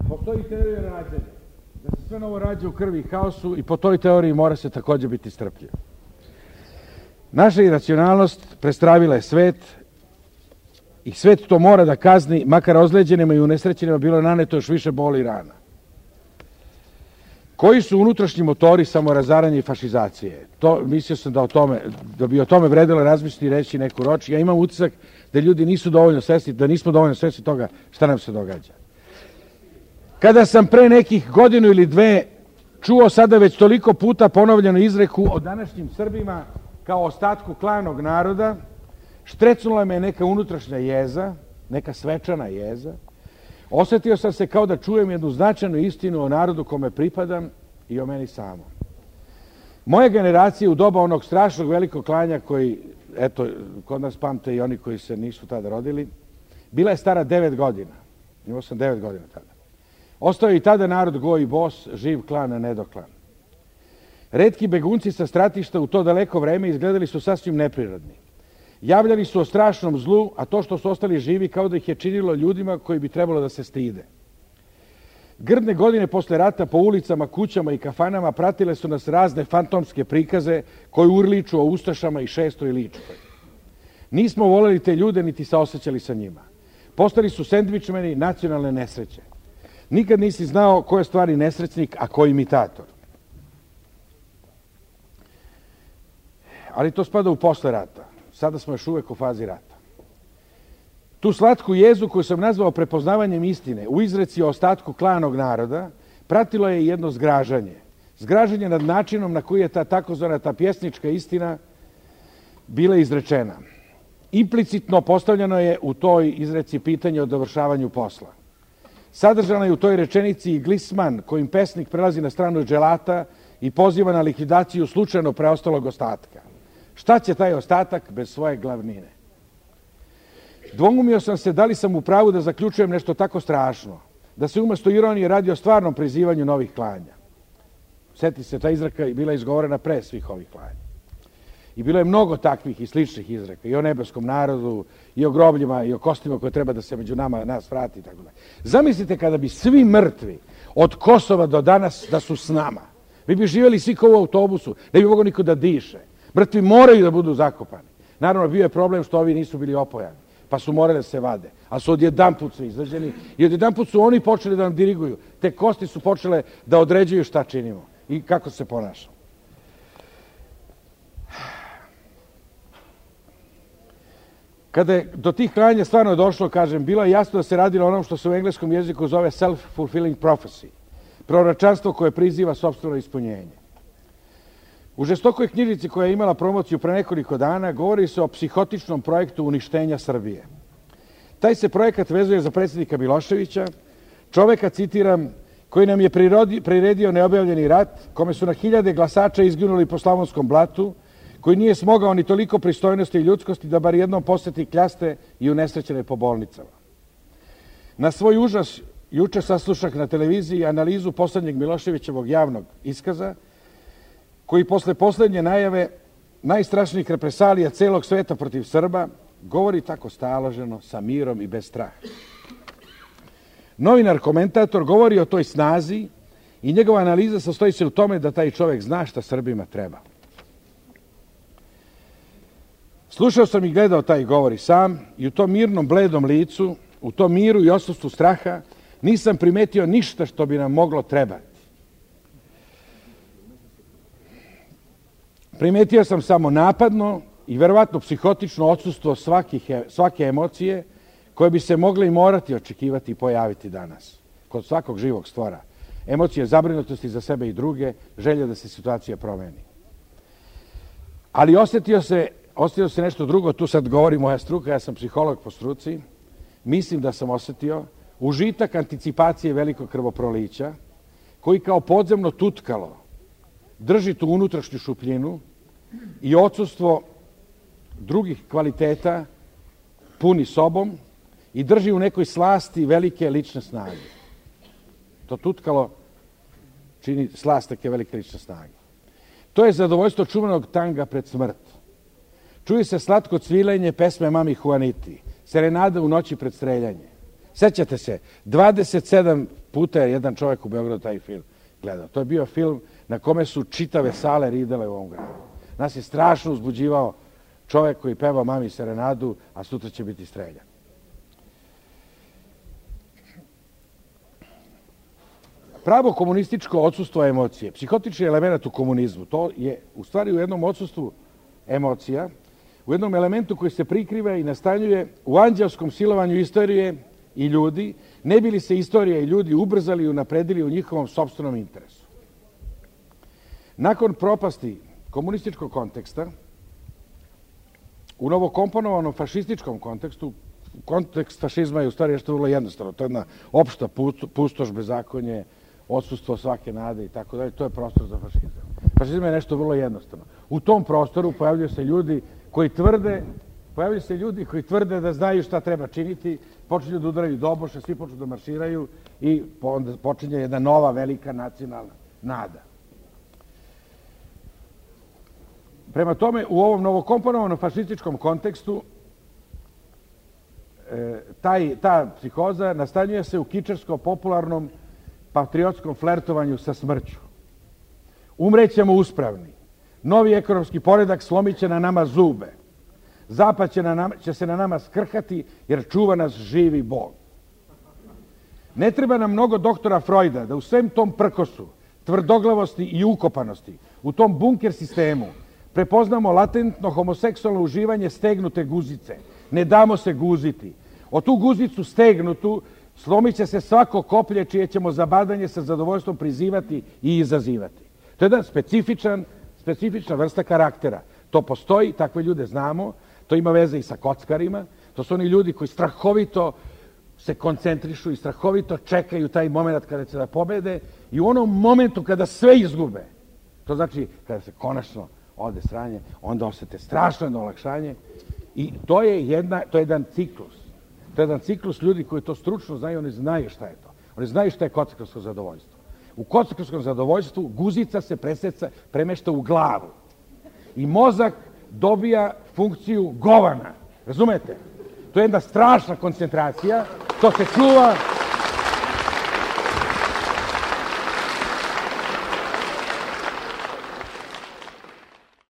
postoji teorija rađanja. Da se sve novo rađa u krvi i haosu i po toj teoriji mora se također biti strpljiv. Naša iracionalnost prestravila je svet i svet to mora da kazni, makar ozleđenima i unesrećenima bilo naneto još više boli i rana. Koji su unutrašnji motori samorazaranja i fašizacije? Mislio sam da bi o tome vredilo razmisliti i reći neku roč. Ja imam utisak da ljudi nisu dovoljno svesni, da nismo dovoljno svesni toga šta nam se događa. Kada sam pre nekih godinu ili dve čuo sada već toliko puta ponovljenu izreku o današnjim Srbima kao ostatku klanog naroda, štrecnula me neka unutrašnja jeza, neka svečana jeza. Osjetio sam se kao da čujem jednu značajnu istinu o narodu kome pripadam i o meni samom. Moja generacija u doba onog strašnog velikog klanja koji, eto, kod nas pamte i oni koji se nisu tada rodili, bila je stara 9 godina. Imao sam 9 godina tada. Ostao je i tada narod go i bos, živ klan, a nedoklan. Retki begunci sa stratišta u to daleko vreme izgledali su sasvim neprirodni. Javljali su o strašnom zlu, a to što su ostali živi kao da ih je činilo ljudima koji bi trebalo da se stide. Grdne godine posle rata po ulicama, kućama i kafanama pratile su nas razne fantomske prikaze koji urliču o ustašama i Šestoj i Ličkoj. Nismo voleli te ljude niti saosećali sa njima. Postali su sendvičmeni nacionalne nesreće. Nikad nisi znao ko je stvari nesrećnik, a ko imitator. Ali to spada u posle rata. Sada smo još uvek u fazi rata. Tu slatku jezu koju sam nazvao prepoznavanjem istine u izreci o ostatku klanog naroda pratilo je jedno zgražanje. Zgražanje nad načinom na koji je ta takozvana ta pjesnička istina bila izrečena. Implicitno postavljeno je u toj izreci pitanje o dovršavanju posla. Sadržana je u toj rečenici i glisman kojim pesnik prelazi na stranu dželata i poziva na likvidaciju slučajno preostalog ostatka. Šta će taj ostatak bez svoje glavnine? Dvoumio sam se da li sam u pravu da zaključujem nešto tako strašno, da se umjesto ironije radi o stvarnom prizivanju novih klanja. Sjeti se, ta izreka je bila izgovorena pre svih ovih klanja. I bilo je mnogo takvih i sličnih izreka, i o nebeskom narodu, i o grobljima, i o kostima koje treba da se među nas vrati, itd. Zamislite kada bi svi mrtvi od Kosova do danas da su s nama. Vi bi živjeli svi kao u autobusu, ne bi mogao niko da diše. Mrtvi moraju da budu zakopani. Naravno, bio je problem što ovi nisu bili opojani, pa su morali da se vade. A su odjedanput su izrađeni i odjedanput su oni počeli da nam diriguju. Te kosti su počele da određuju šta činimo i kako se ponašamo. Kada je do tih klanja stvarno došlo, kažem, bilo je jasno da se radilo o onom što se u engleskom jeziku zove self-fulfilling prophecy. Proročanstvo koje priziva sopstveno ispunjenje. U žestokoj knjižici koja je imala promociju pre nekoliko dana govori se o psihotičnom projektu uništenja Srbije. Taj se projekat vezuje za predsjednika Miloševića, čoveka, citiram, koji nam je priredio neobjavljeni rat, kome su na hiljade glasača izginuli po Slavonskom blatu, koji nije smogao ni toliko pristojnosti i ljudskosti da bar jednom posjeti kljaste i unesrećene po bolnicama. Na svoj užas juče saslušak na televiziji analizu poslednjeg Miloševićevog javnog iskaza, koji posle poslednje najave najstrašnijih represalija celog sveta protiv Srba govori tako staloženo, sa mirom i bez straha. Novinar komentator govori o toj snazi i njegova analiza sastoji se u tome da taj čovjek zna šta Srbima treba. Slušao sam i gledao taj govor i sam i u tom mirnom, bledom licu, u tom miru i odsustvu straha nisam primetio ništa što bi nam moglo trebati. Primetio sam samo napadno i verovatno psihotično odsustvo svake emocije koje bi se mogle i morati očekivati i pojaviti danas. Kod svakog živog stvora. Emocije zabrinutosti za sebe i druge, želje da se situacija promeni. Ali osjetio se nešto drugo, tu sad govori moja struka, ja sam psiholog po struci, mislim da sam osjetio užitak anticipacije velikog krvoprolića, koji kao podzemno tutkalo drži tu unutrašnju šupljinu i odsustvo drugih kvaliteta puni sobom i drži u nekoj slasti velike lične snage. To tutkalo čini slast neke velike lične snage. To je zadovoljstvo čuvenog tanga pred smrt. Čuje se slatko cvilenje pesme Mami Juaniti, serenada u noći pred streljanje. Sećate se, 27 puta je jedan čovjek u Beogradu taj film gledao. To je bio film na kome su čitave sale ridele u ovom gradu. Nas je strašno uzbuđivao čovjek koji peva mami serenadu, a sutra će biti streljan. Pravo komunističko odsustvo emocije, psihotični element u komunizmu, to je u stvari u jednom odsustvu emocija, u jednom elementu koji se prikriva i nastanjuje u anđelskom silovanju istorije i ljudi, ne bi li se istorija i ljudi ubrzali i unapredili u njihovom sopstvenom interesu. Nakon propasti komunističkog konteksta, u novokomponovanom fašističkom kontekstu, kontekst fašizma je u stvari nešto vrlo jednostavno, to je jedna opšta pustoš, bezakonje, odsustvo svake nade i tako dalje, to je prostor za fašizam. Fašizam je nešto vrlo jednostavno. U tom prostoru pojavljaju se ljudi koji tvrde da znaju šta treba činiti, počinju da udaraju doboše, svi počnu da marširaju i onda počinje jedna nova velika nacionalna nada. Prema tome, u ovom novokomponovanom fašističkom kontekstu ta psihoza nastanjuje se u kičarsko-popularnom patriotskom flertovanju sa smrću. Umrećemo uspravni. Novi ekonomski poredak slomit će na nama zube. Zapad će se na nama skrhati jer čuva nas živi Bog. Ne treba nam mnogo doktora Freuda da u svem tom prkosu, tvrdoglavosti i ukopanosti, u tom bunker sistemu, prepoznamo latentno homoseksualno uživanje stegnute guzice. Ne damo se guziti. O tu guzicu stegnutu slomit će se svako koplje čije ćemo zabadanje sa zadovoljstvom prizivati i izazivati. To je jedan specifična vrsta karaktera. To postoji, takve ljude znamo, to ima veze i sa kockarima, to su oni ljudi koji strahovito se koncentrišu i strahovito čekaju taj moment kada će da pobede i u onom momentu kada sve izgube, to znači kada se konačno ode sranje, onda osete strašno jedno olakšanje i to je jedan ciklus. To je jedan ciklus ljudi koji to stručno znaju, oni znaju šta je to. Oni znaju šta je kockarsko zadovoljstvo. U kockarskom zadovoljstvu guzica se premešta u glavu i mozak dobija funkciju govana. Razumete? To je jedna strašna koncentracija, to se čuva